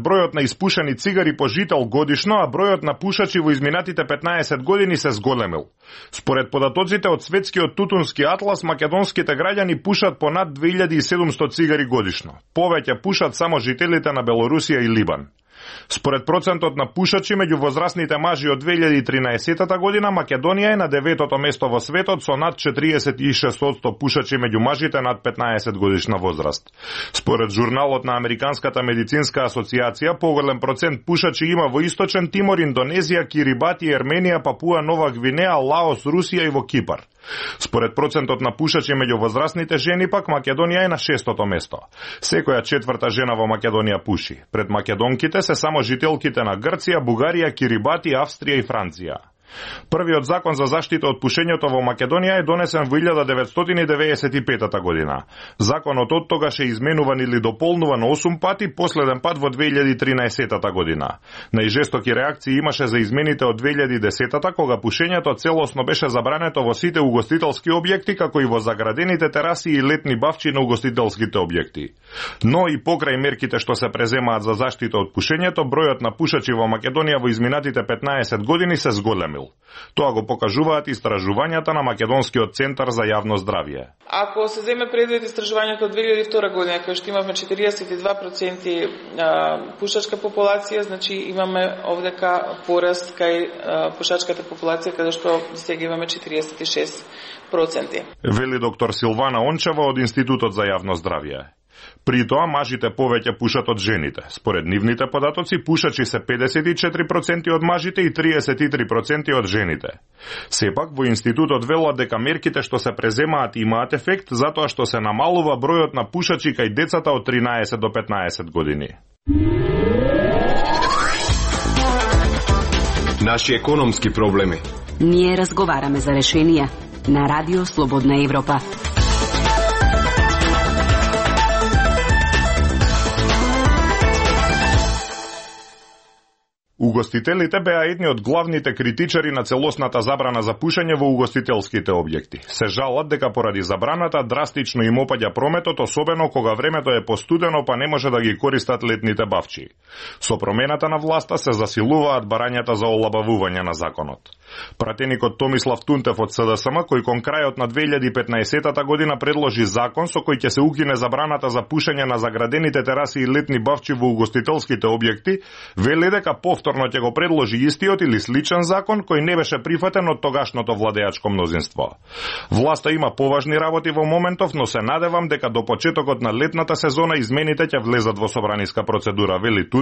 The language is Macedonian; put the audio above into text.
бројот на испушени цигари по жител годишно, а бројот на пушачи во изминатите 15 години се зголемил. Според податоците од Светскиот тутунски атлас, македонските граѓани пушат по над 2700 цигари годишно. Повеќе пушат само жителите на Белорусија и Либан. Според процентот на пушачи меѓу возрастните мажи од 2013 година, Македонија е на 9-то место во светот со над 46% пушачи меѓу мажите над 15 годишна возраст. Според журналот на Американската медицинска асоциација, поголем процент пушачи има во Источен Тимор, Индонезија, Кирибати, Ерменија, Папуа Нова Гвинеа, Лаос, Русија и во Кипар. Според процентот на пушачи меѓу возрастните жени пак, Македонија е на 6-то место. Секоја четврта жена во Македонија пуши. Пред македонките се само жителките на Грција, Бугарија, Кирибати, Австрија и Франција. Првиот закон за заштита од пушењето во Македонија е донесен во 1995 година. Законот од тогаш е изменуван или дополнуван 8 пати, последен пат во 2013 година. Најжестоки реакции имаше за измените од 2010 кога пушењето целосно беше забрането во сите угостителски објекти, како и во заградените тераси и летни бавчи на угостителските објекти. Но и покрај мерките што се преземаат за заштита од пушењето, бројот на пушачи во Македонија во изминатите 15 години се зголемил. Тоа го покажуваат истражувањата на Македонскиот центар за јавно здравје. Ако се земе предвид истражувањето од 2002 година, кај што имавме 42% пушачка популација, значи имаме овдека пораст кај пушачката популација, каде што сега имаме 46%. Вели доктор Силвана Ончева од Институтот за јавно здравје. При тоа мажите повеќе пушат од жените. Според нивните податоци, пушачи се 54% од мажите и 33% од жените. Сепак, во Институтот велат дека мерките што се преземаат имаат ефект, затоа што се намалува бројот на пушачи кај децата од 13 до 15 години. Наши економски проблеми. Ние разговараме за решенија на Радио Слободна Европа. Угостителите беа едни од главните критичари на целосната забрана за пушење во угостителските објекти. Се жалат дека поради забраната драстично им опаѓа прометот, особено кога времето е постудено па не може да ги користат летните бавчи. Со промената на власта се засилуваат барањата за олабавување на законот. Пратеникот Томислав Тунтев од СДСМ, кој кон крајот на 2015 година предложи закон со кој ќе се укине забраната за пушење на заградените тераси и летни бавчи во угостителските објекти, вели дека повторно ќе го предложи истиот или сличен закон кој не беше прифатен од тогашното владеачко мнозинство. Власта има поважни работи во моментов, но се надевам дека до почетокот на летната сезона измените ќе влезат во собраниска процедура, вели Тунтев,